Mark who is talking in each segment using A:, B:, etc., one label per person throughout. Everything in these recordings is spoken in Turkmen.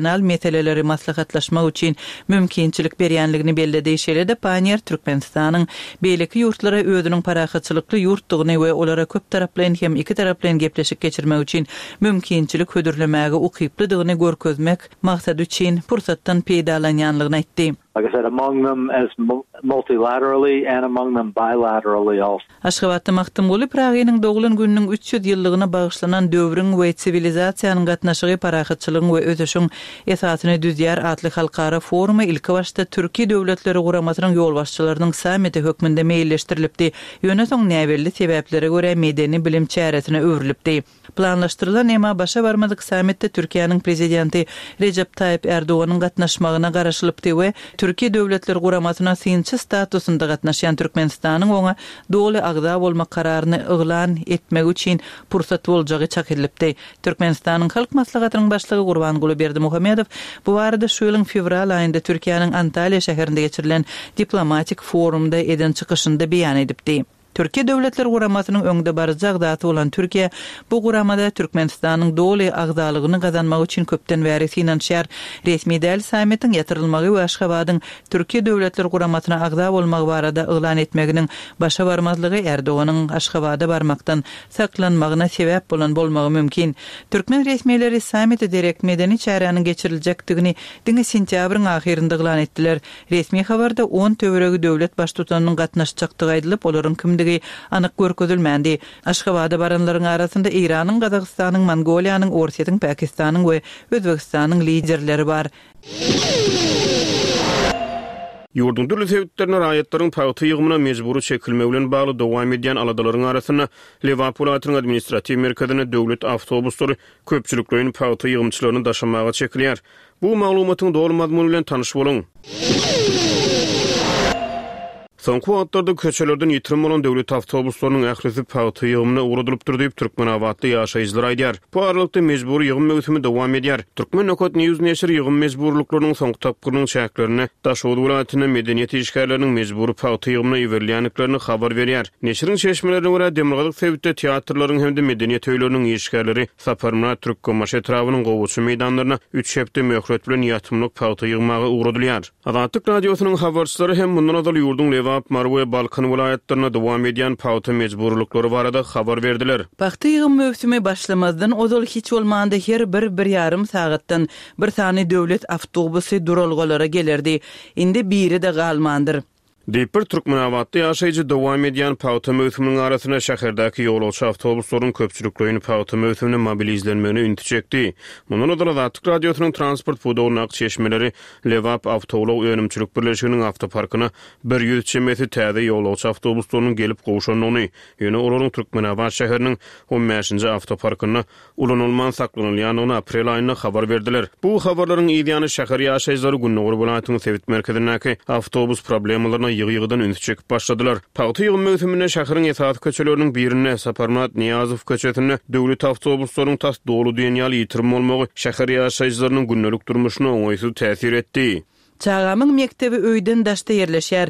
A: Nal meseleleri maslahatlaşmak üçin mümkinçilik berýänligini belledi. Şeýle-de Panniýer Türkmenistanyň beýleki ýurtlara özüniň parahatçylykly ýurtdugyny we olara köptaraplaýyn hem ikitaraplaýyn gepleşik geçirmek üçin mümkinçilik hödürlemäge ukyplydygyny görkezmek maksady üçin pursatdan peýdalanýanlygyny aýtdy.
B: Like I said, among them as multilaterally and among them bilaterally also.
A: Aşgabatda Magtymguly Pyragynyň doglan gününiň 300 ýyllygyna bagyşlanan Döwrüň we siwilizasiýanyň gatnaşygy parahatçylygyň we ösüşiň esasyny düzýär atly halkara forumy ilkibaşda Türki Döwletleri Guramasynyň ýolbaşçylarynyň sammiti hökmünde meýilleşdirilipdi, ýöne soň näbelli sebäplere görä medeni-bilim çäresine öwrülipdi. Planlaşdyrylan, emma başa barmadyk sammitde Türkiýäniň Prezidenti Rejep Taýyp Ärdoganyň gatnaşmagyna garaşylypdy we Türki Döwletler Guramasyna synçy statusynda gatnaşýan Türkmenistanyň oňa doly agza bolmak kararyny yglan etmegi üçin pursat boljagy çak edilipdi. Türkmenistanyň Halk Maslahatynyň Başlygy Gurbanguly Berdimuhamedow bu barada şu ýylyň fewral aýynda Türkiýäniň Antalýa şäherinde geçirilen diplomatik forumda eden çykyşynda beýan edipdi. Türki Döwletler Guramasynyň öňdebaryjy agzasy bolan Türkiýe bu guramada Türkmenistanyň doly agzalygyny gazanmak üçin köpden bäri synanyşýar. Resmi däl sammitiň ýatyrylmagy we Aşgabadyň Türki Döwletler Guramasyna agza bolmagy barada yglan etmeginiň başa barmazlygy Erdoganyň Aşgabada barmakdan saklanmagyna sebäp bolan bolmagy mümkin. Türkmen resmileri sammite derek medeni çäräniň geçiriljekdigini diňe sentýabryň ahyrynda yglan etdiler. Resmi habarda on töweregi döwlet baştutanynyň gatnaşjakdygy aýdylyp, olaryň kimdigi anyk görkezilmändi. Aşgabada baranlaryň arasynda Eýranyň, Gazagystanyň, Mongoliýanyň, Orsýetiň, Pakistanyň we Özbegistanyň liderleri bar.
C: Ýurduň dürli sebitlerinde raýatlaryň pagta ýygymyna mejbury çekilmegi bilen bagly dowam edýän aladalaryň arasynda, Lebap welaýatynyň administratiw merkezinde döwlet awtobuslary köpçülikleýin pagta ýygymçylaryny daşamaga çekilýär. Bu maglumatyň doly mazmuny bilen tanyş boluň. Soňky wagtlarda köçelerden ýitirim bolan döwlet awtobuslarynyň ählisi pagta ýygymyna ugradylypdyr diýip, türkmenabatly ýaşaýjylar aýdýar. Bu aralykda, mejbury ýygym möwsümi dowam edýär. Turkmen. News neşiri ýygym mejburylyklarynyň soňky tapgyrynyň çäklerinde Daşoguz welaýatynda medeniýet işgärleriniň mejbury pagta ýygymyna iberilýändiklerini habar berýär. Neşiriň çeşmelerine görä, demirgazyk sebitde teatrlaryň hem-de medeniýet öýleriniň işgärleri Saparmyrat Türkmenbaşy etrabynyň gowaça meýdanlaryna üç hepde möhlet bilen ýatymlyk pagta ýygmaga ugradylýar. Azatlyk Radiosynyň habarçylary hem mundan ozal ýurduň Lebap, Mary we Balkan welaýatlarynda dowam edýän pagta mejburylyklary barada habar berdiler.
A: Pagta ýygym möwsümi başlamazdan ozal hiç bolmanda her bir bir ýarym sagatdan bir sany döwlet awtobusy duralgalara gelerdi. Indi biri-de galmandyr.
C: Diýip, bir türkmenabatly ýaşaýjy dowam edýän pagta möwsüminiň arasynda şäherdäki ýolagçy awtobuslaryň köpçülikleýin pagta möwsümine mobilizlenmegine ünsi çekdi. Mundan ozal Azatlyk Radiosynyň transport pudagyndaky çeşmeleri Lebap awtoulag önümçilik birleşiginiň awtoparkyna 100 çemesi täze ýolagçy awtobuslarynyň gelip gowşandygyny, ýöne olaryň Türkmenabat şäheriniň on bäşinji awtoparkynda ulanylman saklanylýandygyny aprel aýynda habar berdiler. Bu habarlaryň yz ýany şäher ýaşaýjylary gündogar welaýatyň sebit merkezindäki awtobus problemalaryna ýygy-ýygydan ünsi çekip başladylar. Pagta ýygym möwsüminde şäheriň esasy köçeleriniň birinde, Saparmyrat Nyýazow köçesinde döwlet awtobuslaryň tas doly diýen ýaly ýitirim bolmagy şäher ýaşaýjylarynyň gündelik durmuşyna oňaýsyz täsir etdi.
A: Çagamyň mekdebi öýden daşda ýerleşýär.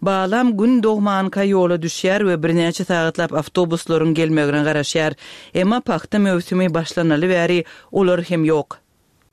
A: Balam Gün dogmanka ýola düşýär we birnäçe sagatlap awtobuslaryň gelmegine garaşýar. Emma pagta möwsümi başlanaly bäri olar hem ýok.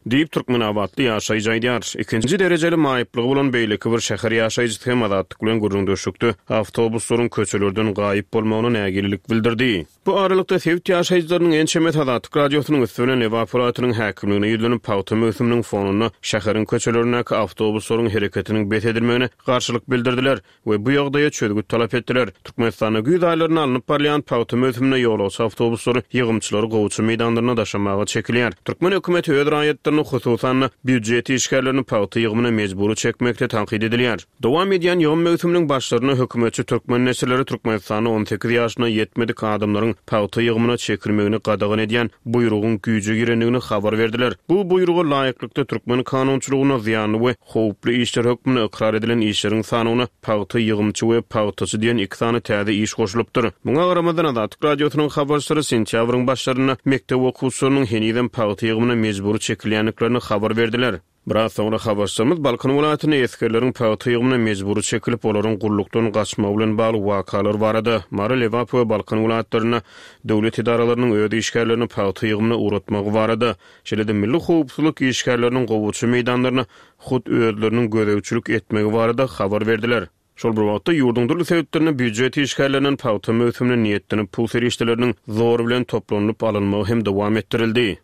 C: Diýip, türkmenabatly ýaşaýjy aýdýar. Ikinji derejeli maýyplygy bolan beýleki bir şäher ýaşaýjysy hem Azatlyk bilen gürrüňdeşlikde awtobuslaryň köçelerden gaýyp bolmagyna nägilelik bildirdi. Bu aralykda, sebit ýaşaýjylarynyň ençemesi Azatlyk Radiosynyň üsti bilen Lebap welaýatynyň häkimligine ýüzlenip, pagta möwsüminiň fonunda şäheriň köçelerindäki awtobuslaryň hereketiniň bes edilmegine garşylyk bildirdiler we bu ýagdaýa çözgüt talap etdiler. Türkmenistanda güýz aýlarynda alnyp barylýan pagta möwsüminde ýolagçy awtobuslary ýygymçylary gowaça meýdanlaryna daşamaga çekilýär. Türkmen hökümeti öz raýatlaryny, hususan-da, býujet işgärlerini pagta ýygymyna mejbury çekmekde tankyt edilýär. Dowam edýän ýygym möwsüminiň başlarynda hökümetçi türkmen neşirleri Türkmenistanda 18 ýaşyna ýetmedik adamlaryň pagta ýygymyna çekilmegini gadagan edýän buýrugyň güýje girendigini habar berdiler. Bu buýruga laýyklykda türkmen kanunçylygynda zyýanly we howply işler hökmünde ykrar edilen işleriň sanawyna pagta ýygymçy we pagtaçy diýen iki sany täze iş goşulypdyr. Muňa garamazdan, Azatlyk Radiosynyň habarçylary sentýabryň başlarynda mekdep okuwçylarynyň henizem pagta ýygymyna mejbury çekilýändiklerini habar berdiler. Biraz soňra habarçymyz Balkan welaýatynda esgerleriň pagta ýygymyna mejbury çekilip, olaryň gullukdan gaçmagy bilen bagly wakalar barada, Mary, Lebap we Balkan welaýatlarynda döwlet edaralarynyň öz işgärlerini pagta ýygymyna ugratmagy barada, şeýle-de milli howpsuzlyk işgärleriniň gowaça meýdanlaryna hut özleriniň gözegçilik etmegi barada habar berdiler. Şol bir wagtda, ýurduň dürli sebitlerinde býujet işgärlerinden pagta möwsümine niýetlenip pul serişdeleriniň zor bilen toplanylyp alynmagy hem dowam etdirildi.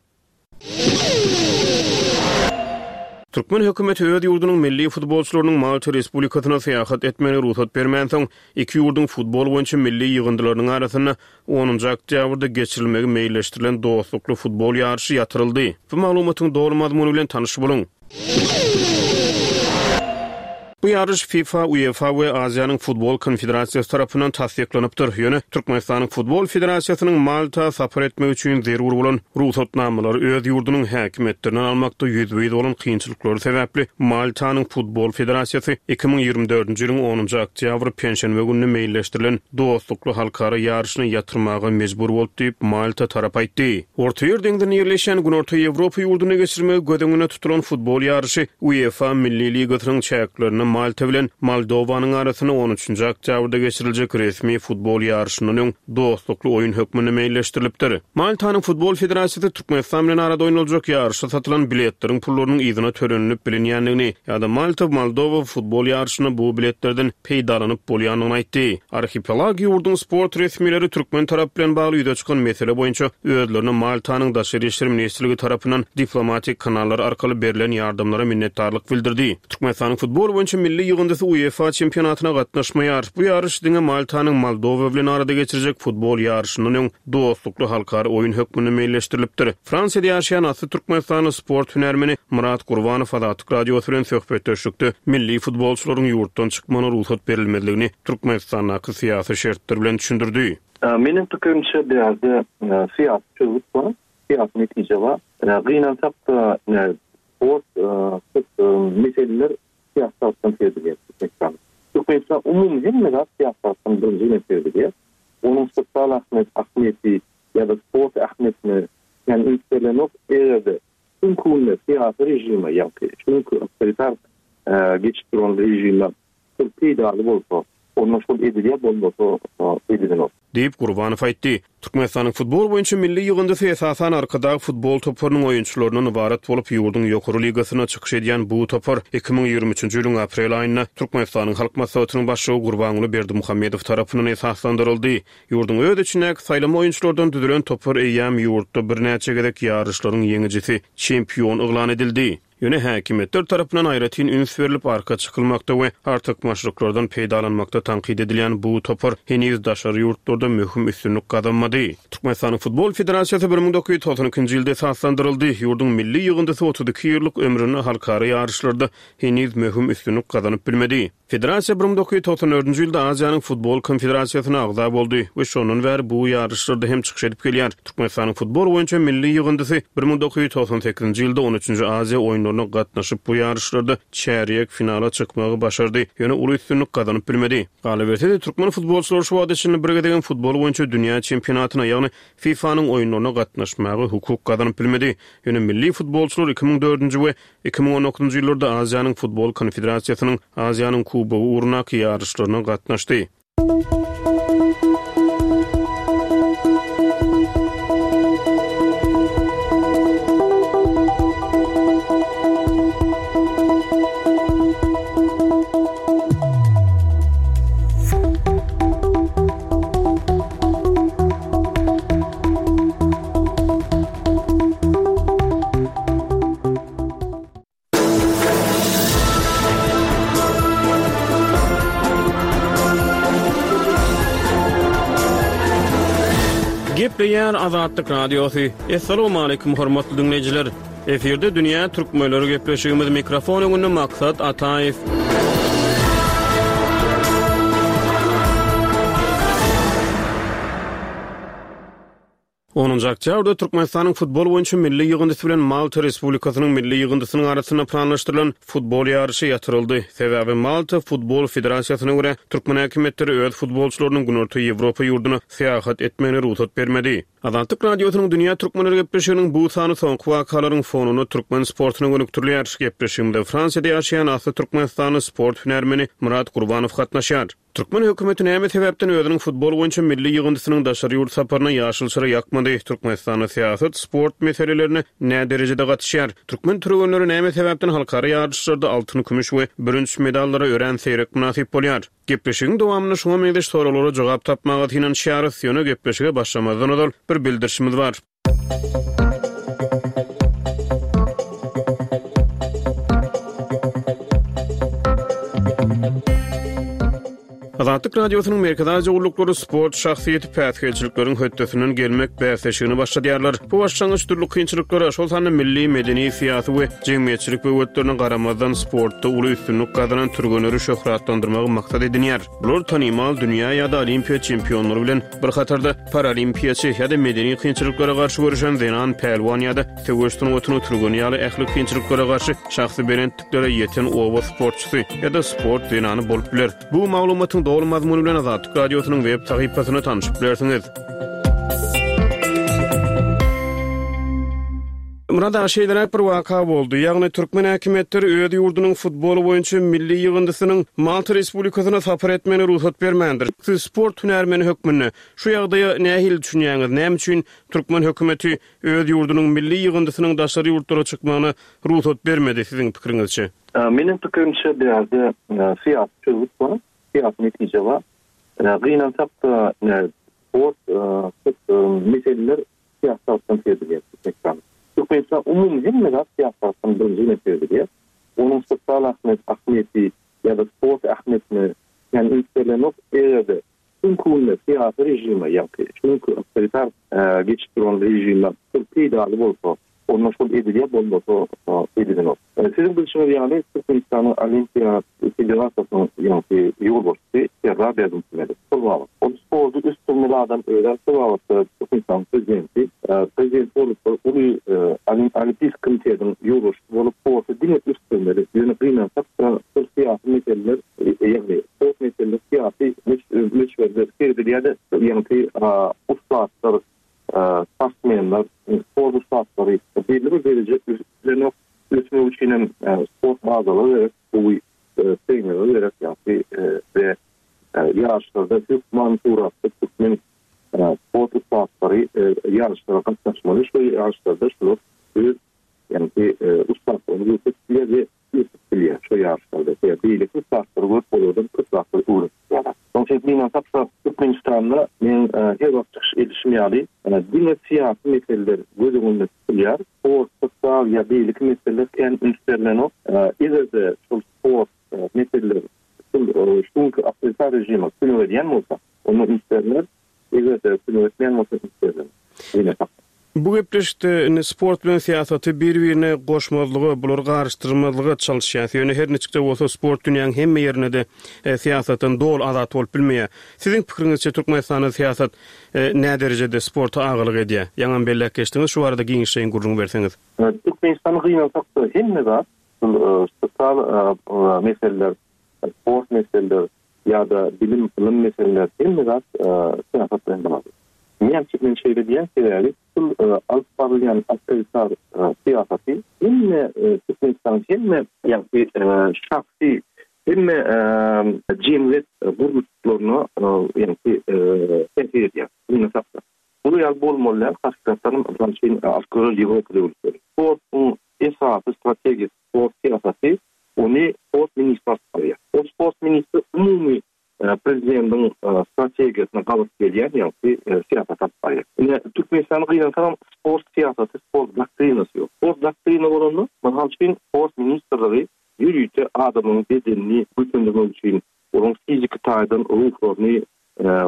C: Türkmen hökümeti öz ýurdunyň milli futbolçylarynyň Malta Respublikasyna syýahat etmegine rugsat bermänsoň, iki ýurduň futbol boýunça milli ýygyndylarynyň arasynda onunjy oktýabrda geçirilmegi meýilleşdirilen dostlukly futbol ýaryşy ýatyryldy. Bu maglumatyň doly mazmuny bilen tanyş boluň. Bu ýaryş FIFA, UEFA we Aziýanyň Futbol Konfederasiýasy tarapyndan tassyklanypdyr. Ýöne Türkmenistanyň Futbol Federasiýasynyň Malta sapar etmek üçin zerur bolan rugsatnamalary öz ýurdunyň häkimiýetlerinden almakda ýüzbe-ýüz bolan kynçylyklary sebäpli Maltanyň Futbol Federasiýasy 2024-nji ýylyň onunjy oktýabry penşenbe gününe meýilleşdirilen dostlukly halkara ýaryşyny ýatyrmaga mejbur boldy diýip, Malta tarapy aýtdy. Ortaýer deňzinde ýerleşýän Günorta Ýewropa ýurdunda geçirmegi göz öňünde tutulan futbol ýaryşy UEFA Milli ligasynyň çäklerinde Malta bilen Moldowanyň arasynda on üçünji oktýabrda geçiriljek resmi futbol ýaryşyndan öň dostlukly oýun hökmünde meýilleşdirilipdir. Maltanyň Futbol federasiýasy Türkmenistan bilen arada oýnaljak ýaryşa satylan biletleriň pullarynyň yzyna tölenilip bilinýändigini ýa-da Malta-Moldowa futbol ýaryşynda bu biletlerden peýdalanyp bolýandygyny aýtdy. Arhipelag ýurduň sport resmileri türkmen tarapy bilen bagly ýüze çykan mesele boýunça özlerine Maltanyň Daşary işler ministrligi tarapyndan diplomatik kanallar arkaly berlen ýardamlara minnetdarlyk bildirdi. Türkmenistanyň futbol boýunça milli ýygyndysy UEFA çempionatyna gatnaşmaýar. Bu ýaryş diňe Maltanyň Moldowa bilen arada geçirjek futbol ýaryşyndan öň dostlukly halkara oýun hökmünde meýilleşdirilipdir. Fransiýada ýaşaýan asly türkmenistanly sport hünärmeni Myrat Gurbanow Azatlyk Radiosy bilen söhbetdeşlikde milli futbolçylaryň ýurtdan çykmagyna rugsat berilmezligini Türkmenistandaky syýasy şertler bilen düşündirdi.
B: Meniň pikirimçe bu ýerde syýasy çözgüt bar, syýasy netije bar. Gynansak-da, sport köp meseleler syýasy tarapdan seredilýär Türkmenistanda. Türkmenistan umumy hemme zat syýasy tarapdan birinji bilen seredilýär. Onuň sosial ahmiýeti ýa-da sport ähmiýetine kän üns berlenok. Eger-de şu günki günde syýasy režime, ýagny şu günki awtoritar geçip duran režime şol peýdaly bolsa, onda şol edilýär, bolmasa edilenok.
C: Diýip, Gurbanow aýtdy. Türkmenistanyň futbol boýunça milli ýygyndysy esasan Arkadag futbol toparynyň oýunçylaryndan ybarat bolup, ýurduň ýokary ligasynda çykyş edýän bu topar 2023-nji ýylyň aprel aýynda Türkmenistanyň Halk Maslahatynyň Başlygy Gurbanguly Berdimuhamedow tarapyndan esaslandyryldy. Ýurduň öz içindäki saýlama oýunçylardan düzülen topar eýýäm ýurtda birnäçe gezek ýaryşlaryň ýeňijisi, çempion yglan edildi. Ýöne häkimiýetler tarapyndan aýratyn üns berlip arka çykylmakda we artykmaçlyklardan peýdalanmakda tankyt edilýän bu topar heniz daşary ýurtlarda möhüm üstünlik gazanmady. Türkmenistanyň Futbol federasiýasy 1992-nji ýylda esaslandyryldy. Ýurduň milli ýygyndysy 32 ýyllyk ömründe halkara ýaryşlarda heniz möhüm üstünlik gazanyp bilmedi. Federasiýa 1994-nji ýylda Aziýanyň Futbol konfederasiýasyna agza boldy we şondan bäri bu ýaryşlarda hem çykyş edip gelýär. Türkmenistanyň futbol boýunça milli ýygyndysy 1998-nji ýylda on üçünji Aziýa oýunlaryna gatnaşyp, bu ýaryşlarda çärýek finala çykmagy başardy, ýöne uly üstünlik gazanyp bilmedi. Galyberse-de, türkmen futbolçylary şu wagta çenli bir gezegem futbol boýunça dünýä çempionatyna, ýagny FIFA-nyň oýunlaryna gatnaşmaga hukuk gazanyp bilmedi. Ýöne milli futbolçylar 2004-nji we 2019-njy ýyllarda Aziýanyň Futbol konfederasiýasynyň Aziýanyň Kubogy ugrundaky ýaryşlaryna gatnaşdy. Gepleýär Azatlyk Radiosy. Assalamualaikum hormatly diňleýjiler. Efirde dünýä türkmenleri gepleşigimiz mikrofon öňünde Maksat Ataýew. Onunjy oktýabrda Türkmenistanyň futbol boýunça milli ýygyndysy bilen Malta Respublikasynyň milli ýygyndysynyň arasynda planlaşdyrylan futbol ýaryşy ýatyryldy. Sebäbi Malta futbol federasiýasyna görä, türkmen häkimiýetleri öz futbolçylarynyň Günorta Ýewropa ýurduna syýahat etmegine rugsat bermedi. Azatlyk Radiosynyň Dünýä türkmenleri gepleşiginiň bu sany soňky wakalaryň fonunda türkmen sportuna gönükdirilýär. Gepleşigimize Fransiýada ýaşaýan asly türkmenistanly sport hünärmeni Myrat Gurbanow gatnaşýar. Türkmen hökümeti näme sebäpden özüniň futbol boýunça milli ýygyndysynyň daşary ýurt saparyna ýaşyl çyra ýakmady? Türkmenistanda syýasat sport meselelerine nä derejede gatyşýar? Türkmen türgenleri näme sebäpden halkara ýaryşlarda altyn, kümüş we bürünç medallara örän seýrek mynasyp bolýar? Gepleşigiň dowamynda şuňa meňzeş soraglara jogap tapmaga synanyşýarys. Ýöne gepleşige başlamazdan ozal bir bildirişimiz bar. Azatlyk Radiosynyň Merkezi Aziýa gulluklary sport şahsyýeti päsgelçilikleriň hötdesinden gelmek bäsleşigini başladýarlar. Bu başlangyç dürli kynçylyklara, şol sanda milli, medeni, syýasy we jemgyýetçilik böwetlerine garamazdan sportda uly üstünlik gazanan türgenleri şöhratlandyrmagy maksat edinýär. Bular tanymal dünýä ýa-da olimpiýa çempionlary bilen bir hatarda paralimpiýaçy ýa-da medeni kynçylyklara garşy göreşen zenan pälwan ýa-da söweş sungatynyň türgeni ýaly ähli kynçylyklara garşy şahsy belentliklere ýeten oba sportçysy ýa-da sport zenany bolup biler. Bu maglumatyň doly mazmuny bilen Azatlyk Radiosynyň web sahypasynda tanşyp bilersiňiz. Myrat aga, şeýleräk bir waka boldy. Ýagny türkmen häkimiýetleri öz ýurdunyň futbol boýunça milli ýygyndysynyň Malta Respublikasyna sapar etmegine rugsat bermändir. Siz sport hünärmeni hökmünde şu ýagdaýa nähili düşünýäňiz? Näme üçin türkmen hökümeti öz ýurdunyň milli ýygyndysynyň daşary ýurtlara çykmagyna rugsat bermedi, siziň pikiriňizçe?
B: Meniň pikirimçe, bu ýerde syýasy çözgüt bar, syýasy netije bar. Gynansak-da, sport köp meseleler syýasy tarapdan seredilýär Türkmenistanda. Türkmenistan umumy hemme zat syýasy tarapdan birinji bilen seredilýär. Onuň sosial ahmiýeti ýa-da sport ähmiýetine kän üns berlenok. Eger-de şu günki günde syýasy režime, ýagny şu günki awtoritar geçip duran režime şol peýdaly bolsa, onda şol edilýär, bolmasa edilenok. Siziň bilşiňiz ýaly, Türkmenistanyň Olimpiýa federasiýasynyň ýaňky ýolbaşçysy Serdar Berdimuhamedow. Şol babat. Ol sporty ösdürmeli adam özem şol babatda Türkmenistanyň prezidenti. Prezident bolup bir uly Olimpiýsk komitetiň ýolbaşçysy bolup sporty diňe ösdürmeli. Ýöne gynansak-da şol syýasy meseleler, ýagny sport meseleleri syýasy möçberde seredilýär-de, ýaňky ussatlar Sportsmenler, sport ussatlary belli bir dereje ösüp bilenok. Ösmek üçin hem sport bazalary gerek, gowy trenerler gerek ýagny we ýaryşlarda hökman suratda türkmen sport ussatlary ýaryşlara gatnaşmaly. Şol ýaryşlarda şular öz ýagny ussatlygyny görkezip bilýär we ösüp bilýär şo ýaryşlarda. Sebäbi beýleki ussatlary görüp olardan köp zatlary öwrenip bilýärler. Şonuň üçin gynansak-da Türkmenistanda meň her wagt çykyş edişim ýaly diňe syýasy meseleler göz öňünde tutulýar. Sport, sosial ýa beýleki meseleler kän üns berlenok. Eger-de şol sport meseleler şol şu günki awtoritar režime kömek edýän bolsa, onda üns berler. Eger-de kömek etmeýän bolsa üns berlen. Gynansak.
C: Bu gepleşikde indi sport bilen syýasaty bir-birine goşmazlyga, bulary garyşdyrmazlyga çalyşýas. Ýöne her niçik-de bolsa sport dünýäň hemme ýerinde-de syýasatdan doly azat bolup bilmeýär. Siziň pikiriňizçe Türkmenistanda syýasat näderejede sporta agalyk edýär? Ýaňam belläp geçdiňiz, şu barada giňişleýin gürrüň berseňiz.
B: Türkmenistanda gynansak-da hemme zat şul sosial meseleler, sport meseleler, ýa-da bilim, ylym meseleleri hemme zat syýasat bilen bagly. Näme üçin men şeýle diýýän, sebäbi şul alyp barylýan awtoritar syýasaty hemme Türkmenistanyň hemme ýagny şahsy hemme jemgyýet gurluşlaryna ýagny täsir edýär. Gynansak-da. Bular ýaly bolmaly däl, hakykatdanam mysal üçin alyp göreli Ýewropa döwletleri. Sportuň esasy strategiýasy sport syýasaty Ony sport ministri alyp barýar. Ol sport ministri umumy prezidentiň strategiýasyna gabat gelýän ýagty syýasat alyp barýar. Ine, Türkmenistanda gynansagam sport syýasaty, sport doktrinasy ýok. Sport doktrina bolanda, mysal üçin, sport ministrligi ýörite adamyň bedenini güýçlendirmek üçin, olaryň fiziki taýdan ruhlaryny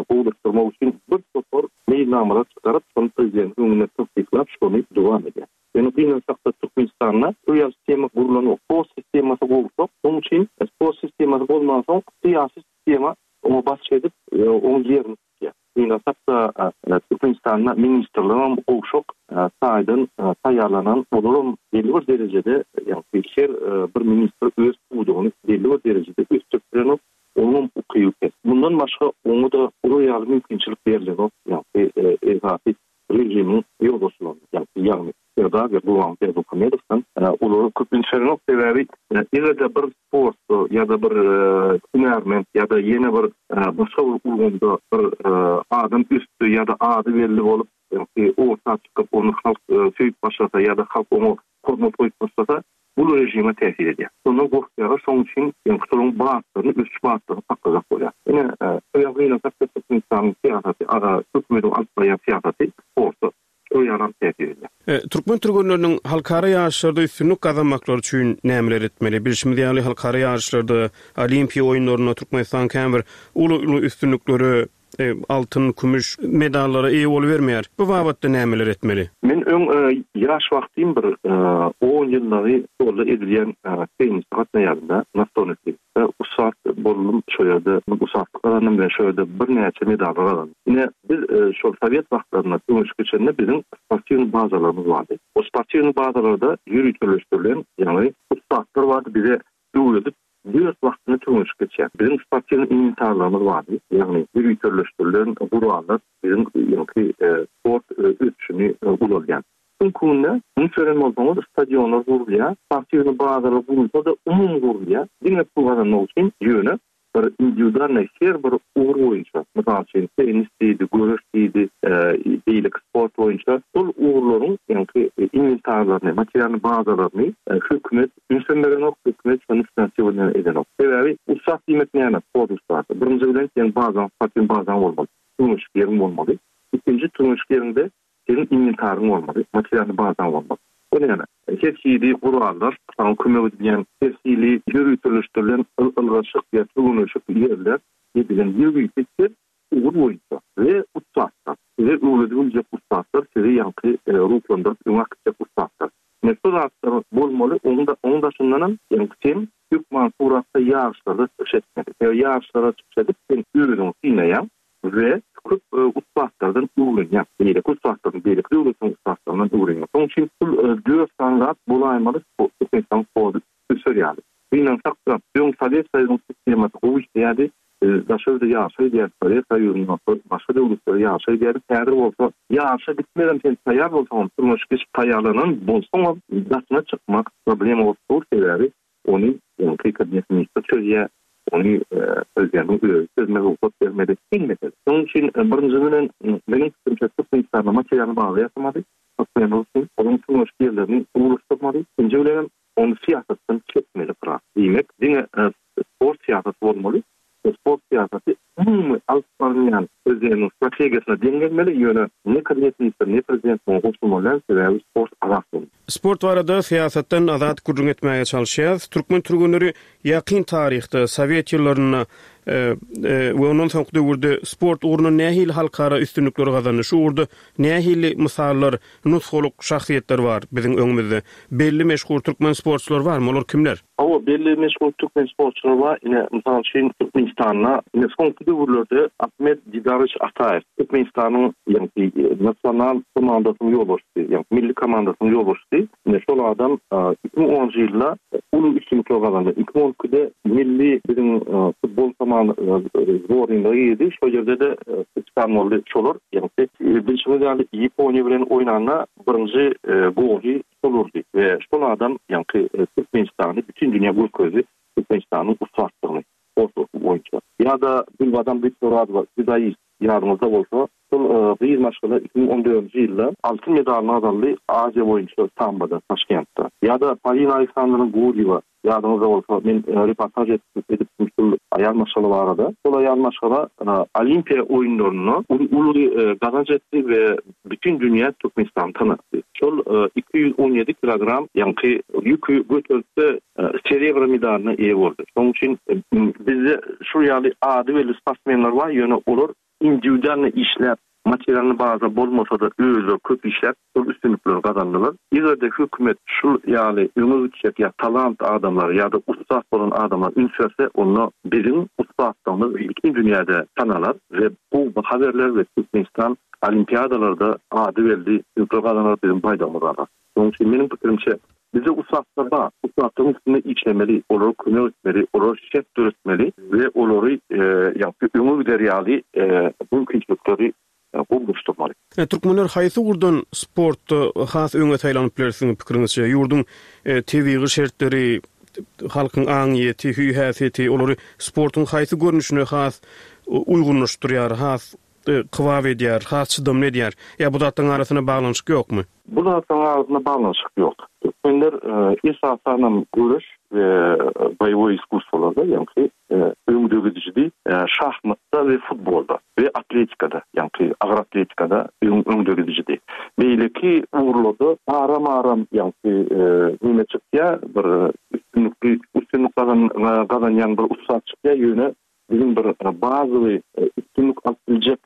B: gowulaşdyrmak üçin bir topar meýilnamalar çykaryp, şony prezidentiň öňünde tassyklap, şony dowam edýär. Ýöne gynansakda Türkmenistanda bu ýaly sistema gurlanok. Sport sistemasy gowşak. Şonuň üçin sport sistemasy bolmansoň syýasy sistema oňa basyş edip, onuň ýerini tutýar. Gynansak-da, Türkmenistanda ministrligem gowşak taýdan taýýarlanan, olaram belli bir derejede, ýagny her bir ministr öz pudagyny belli bir derejede ösdürip bilenok, onuňam ukyby pes. Mundan başga oňa-da olar ýaly mümkinçilik berilenok, ýagny esasy režimiň ýolbaşçylaryna, ýagny Serdar we Gurbanguly Berdimuhamedowdan olara köp üns berenok, sebäbi eger-de bir sportda ýa-da bir hünärment ýa-da ýene bir başga bir ulgamda bir adam ösdi ýa-da ady belli bolup, orta çykyp, ony halk söýüp başlasa ýa-da halk oňa hormat goýup başlasa, bul režime täsir edýär. Şondan gorkýarlar, şonuň üçin şolaryň batlaryny, ösüş batlaryny saklajak bolýar. Ine, şo gynansak-da Türkmenistanyň syýasaty, hökümetiň alyp barýan syýasaty sporta şol ýalam täsir edýär.
C: Türkmen türgenleriniň halkara ýaryşlarda üstünlik gazanmaklary üçin nämeler etmeli? Bilşimiz ýaly, halkara ýaryşlarda, Olimpiýa oýunlarynda Türkmenistan kän bir uly-uly üstünliklere, altyn, kümüş medallara eýe bolubermeýär. Bu babatda nämeler etmeli?
B: Men öň ýaş wagtym bir on ýyllagy stolda edilýän tennise gatnaýardym-da, nastolnyý tennis. Ussat boldum şo ýerde, ussatlyk gazandym we şo ýerde birnäçe medallar gazandym. Ine, biz şol sowet wagtlarynda söweşip geçende biziň sportiwnyý bazalarymyz bardy. O sportiwnyý bazalarda ýöriteleşdirilen, ýagny ussatlar bardy, bize öwredip, dört wagtyna türgenleşik geçýär. Biziň sportiwnyý inwentarlarymyz bardy, ýagny ýöriteleşdirilen gurallar biziň ýaňky sport ösüşini ulalýan. Çünki günde üns beren bolsaňyz stadionlar gurulýar, sportiwnyý bazalar gurulsa-da umumy gurulýar, diňe pul gazanmak üçin, ýöne bir indiwidualnyý her bir ugur boýunça, mysal üçin tennis diýdi, göreş diýdi, beýleki sport boýunça şol ugurlaryň ýaňky inwentarlaryny, materialnyý bazalaryny hökümet ünsem berenok, hökümet şony finansirowanie edenok. Sebäbi ussat diýmek näme, sport ussasy? Birinji bilen seň bazaň, sportiwnyý bazaň bolmaly, türgenleşik ýeriň bolmaly. Ikinji türgenleşik ýeriňde Seniň inwentaryň bolmaly, materialnyý bazaň bolmaly. O näme? Her hili gurallar, saňa kömek edýän her hili ýöriteleşdirilen ylgaşyk ýa türgenleşik ýerler edilen ýörite her ugur boýunça we ussatlar, size öwredip biljek ussatlar, sizi ýaňky ruhlandyryp öňe äkitjek ussatlar. Ine şu zatlar bolmaly, onuň daşyndanam ýaňky sen hökman suratda ýaryşlarda çykyş etmeli. Sebäbi ýaryşlarda çykyş edip sen özüňi synaýaň, We köp ussatlardan öwrenýär. Beýleki ussatlardan, beýleki döwletleriň ussatlaryndan öwrenýär. Şonuň üçin şul dört sany zat bolaýmaly Türkmenistanyň sporty öser ýaly. Gynansak-da, öň Sowet Soýuzynyň sistemasy gowy işleýärdi. Biz daşary ýurda ýaryşa gidýärdik, Sowet Soýuzynda, başga döwletlere ýaryşa gidýärdik. Häzir bolsa ýaryşa gitmegem sen taýýar bolsaňam, türgenleşik geçip taýýarlanan bolsaňam daşyna çykmak problema bolup dur. Sebäbi Ony öňki kabinet ministri çözýär, ony prezidentiň özi çözmegi rugsat bermedi. Kyn mesele. Şonuň üçin birinji bilen meniň pikirimçe Türkmenistanda materialny baza ýasamaly, sportsmenler üçin olaryň türgenleşik ýerlerini gowulaşdyrmaly. Ikinji bilenem ony syýasatdan çekmeli biraz. Diýmek, diňe sport syýasaty bolmaly. Sport syýasaty umumy alyp barylýan prezidentiň strategiýasyna deň gelmeli, ýöne ne kabinet ministri, ne prezident muňa goşulmaly däl, sebäbi sport azat bolmaly.
C: Sport barada syýasatdan azat gürrüň etmäge çalyşýarys. Türkmen türgenleri ýakyn taryhda, sowet ýyllarynda we ondan soňky döwürde sport ugrunda nähili halkara üstünlikleri gazandy? Şu ugurda nähili mysallar, nusgalyk şahsyýetler bar biziň öňümizde? Belli meşhur türkmen sportçylary barmy? Olar kimler?
B: Hawa, belli meşhur türkmen sportçylary bar. Ine, mysal üçin, Türkmenistanda ine soňky döwürlerde Ahmet Didarowiç Ataýew Türkmenistanyň ýagny nasional komandasynyň ýolbaşçysy, ýagny milli komandasynyň ýolbaşçysy. Ine şol adam 2010-njy ýylda uly üstünlikler gazandy. 2012-de milli biziň futbol komanda zbornyna girdi. Şol ýerde-de kapitan boldy şolar. Ýagny bilşiňiz ýaly Ýaponiýa bilen oýnanda birinji goly Şol urdy we şol adam ýaňky Türkmenistany bütin dünýä görkezdi, Türkmenistanyň ussatlygyny sport boýunça. Ýa-da Gülbadam Gyzmyradowa, dzudoist, ýadyňyzda bolsa, şol gyz maşgala 2014-nji ýylda altyn medalyny gazandy Aziýa boýunça samboda, Taşkentde. Ýa-da Polina Aleksandrowna Gurýewa, Ýadyňyzda bolsa, men reportaž edipdim şul aýal maşgala barada. Şol aýal maşgala Olimpiýa oýunlarynda uly gazanç etdi we bütin dünýä Türkmenistany tanatdy. Şol 217 kilogram ýaňky ýüki göteripde serebro medalyna eýe boldy. Şonuň üçin bizde şul ýaly ady belli sportsmenler bar, ýöne olar indiwidualno işläp. Materialny baza bolmasa-da özleri köp işläp şol üstünlikleri gazandylar. Eger-de hökümet şul ýaly öňe gitjek ýa talant adamlara ýa-da ussat bolan adamlara üns berse onda biziň ussatlygymyz bütin dünýäde tanalar we gowy baha berler we Türkmenistan olimpiadalarda ady belli üstünlikler gazanar biziň baýdagymyz galar. Şonuň üçin meniň pikirimçe bizde ussatlar bar. Ussatlaryň üstünde işlemeli, olara kömek etmeli, olara şert döretmeli we olary ýagny öňe gider ýaly mümkinçilikleri gowulaşdyrmaly.
C: Türkmenler haýsy ugurdan sportda has öňe saýlanyp biler siziň pikiriňizçe? Ýurduň tebigy şertleri, halkyň aňyýeti, hüý-häsiýeti olary sportuň haýsy görnüşine has uýgunlaşdyrýar, has kybap edýär, has çydamly edýär? Ýa bu zatlaryň arasynda baglanyşyk ýokmy?
B: Bu zatlaryň arasynda baglanyşyk ýok. Türkmenler esasanam göreş we boýewoý iskusstwolarda, ýagny öňdegidijidi, şahmatda we futbolda we atletikada, ýagny agyr atletikada öňdegidijidi. Beýleki ugurlarda aram-aram, ýagny neme çykýar, bir üstünlikli üstünlik gazanýan bir ussat çykýar, ýöne Biziň bir bazawy üstünlik alyp biljek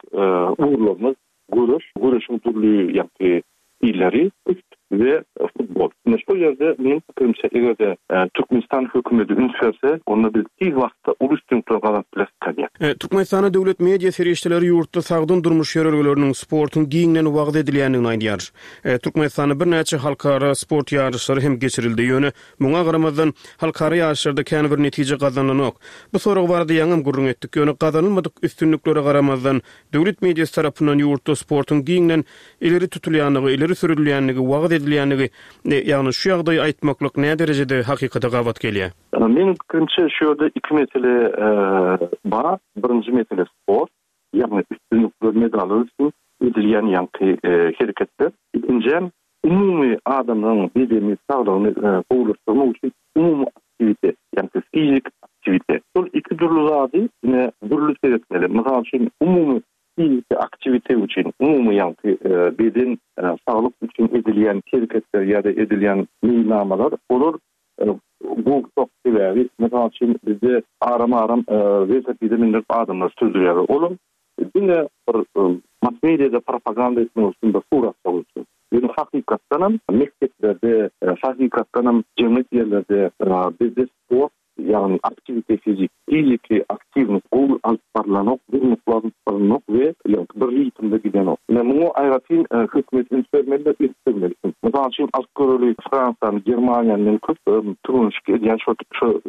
B: ugurlarymyz göreş, göreşiň dürli ýagty stilleri, küşt we futbol. Ine şol ýerde meniň pikirimçe eger-de Türkmenistan hökümeti üns berse, onda biz tiz wagtda uly üstünlikler gazanyp bileris diýýän.
C: Türkmenistanda döwlet media serişdeleri ýurtda sagdyn durmuş ýörelgeleriniň, sportuň giňden wagyz edilýändigini aýdýar. Türkmenistanda birnäçe halkara sport ýaryşlary hem geçirildi, ýöne Muňa garamazdan, halkara ýaryşlarda kän bir netije gazanylanok. Bu sorag barada ýaňam gürrüň etdik, ýöne gazanylmadyk üstünliklere garamazdan, döwlet mediasy tarapyndan ýurtda sportuň giňden ileri tutulýandygy, ileri sürülýändigi, wagyz edilýändigi, ýagny şu ýagdaýy aýtmaklyk näderejede hakykata gabat gelýär?
B: Meniň pikirimçe, şu ýerde iki mesele bar. Birinji mesele sport, ýagny üstünlikler, medallar üçin edilýän ýaňky hereketler. Ikinjäm, Umumy adamlaryň bedeni saglygyny gowulaşdyrmak üçin umumy aktiwitet, ýagny fiziki aktiwitet. Şol iki dürli zady ine dürli seretmeli. Mysal üçin, umumy fiziki aktiwitet üçin, umumy ýagny beden saglyk üçin edilýän hereketler ýa-da edilýän meýilnamalar, olar gowşak. Sebäbi, mysal üçin, bizde aram-aram welosipede mindirip adamlary sürdürýärler. Olam Diňe bir mass mediada propaganda etmek üçin bir suratlar üçin. Ýöne hakykatdanam mekdeplerde, hakykatdanam jemgyýet ýerlerde bizde sport, ýagny aktiwite fizik, fiziki aktiwnost gowy alyp barylanok, durnukly alyp barylanok we bir ritmde gidenok. Ine muňa aýratyn hökümet üns bermeli we ösdürmeli. Mysal üçin alyp göreli Fransiýany, Germaniýany men köp türgenişik edýän şo şo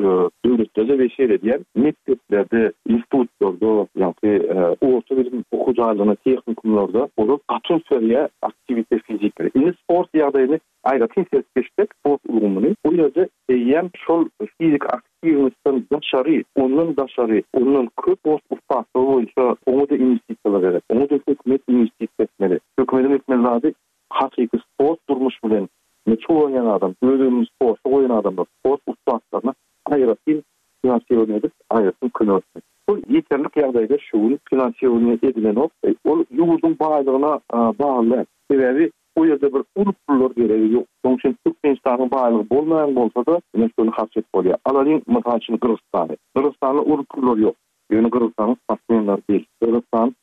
B: döwletlerde we seredýän mekdeplerde, institutlarda, ýagny orta bilim okuw jaýlarynda, tehnikumlarda olar gaty üns berýär aktiwite fizikleri. Indi sport ýagdaýyny aýratyn seredip geçsek, sport ulgamyny, bu ýerde eýýäm şol fiziki aktiwnosdan daşary, ondan daşary, ondan köp sport ussatlygy boýunça oňa-da inwestisiýalar gerek. Oňa-da hökümet inwestisiýa etmeli. Hökümediň etmeli zady Hakyky sport durmuş bilen meşgullanýan adam, öz ömrüni sporta goýan adamlar, sport ussatlaryna aýratyn finansirowaniýe edip, aýratyn kömek etmek. Şol ýeterlik ýagdaýda şu gün finansirowaniýe edilenok. Ol ýurduň baýlygyna bagly däl. Sebäbi o ýerde bir uly pullar geregi ýok. Şonuň üçin Türkmenistanyň baýlygy bolmaýan bolsa-da, ine şony harç edip bolýar. Alalyň, mysal üçin, Gyrgyzystany. Gyrgyzystanda uly pullar ýok. Ýöne Gyrgyzystanyň sportsmenleri belli. Gyrgyzystan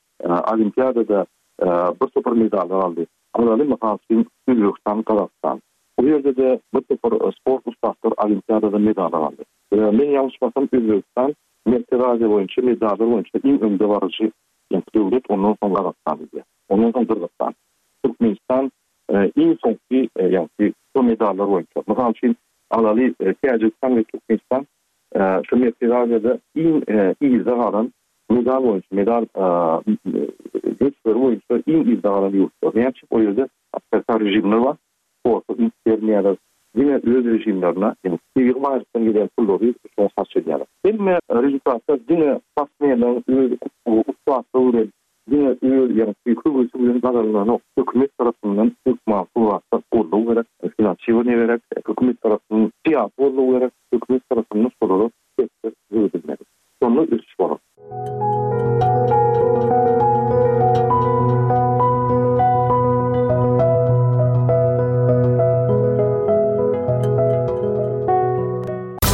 B: Olimpiadada bir topar medallar aldy. Alaly, mysal üçin, Özbegistan, Gazagystan. Bu ýerde-de bir topar sport ussatlary Olimpiadada medallar aldy. Men ýalňyşmasam, Özbegistan Merkezi Aziýa boýunça medallar boýunça iň öňdebaryjy döwlet, ondan soň Gazagystan diýýär. Ondan soň Gyrgyzystan. Türkmenistan iň soňky, ýagny şu medallar boýunça. Mysal üçin, alaly, Täjigistan we Türkmenistan şu Merkezi Aziýada iň yzda galan Medal boýunça, medal möçberi boýunça iň yzda galan ýurtlar. Näme üçin? O ýerde awtoritar režimler bar, sporta üns bermeýärler. Diňe öz režimlerine, ýagny tebigy baýlykdan gelýän pullary şoňa harç edýärler. Hemme rezultatlar diňe sportsmenleriň öz ussatlygy bilen, diňe öz, ýagny höwesi bilen gazanylanok. Hökümet tarapyndan hökman suratda goldaw gerek, finansirowaniýe gerek, hökümet tarapyndan syýasy goldaw gerek, hökümet tarapyndan şolara şertler döredilmeli. Şonda ösüş.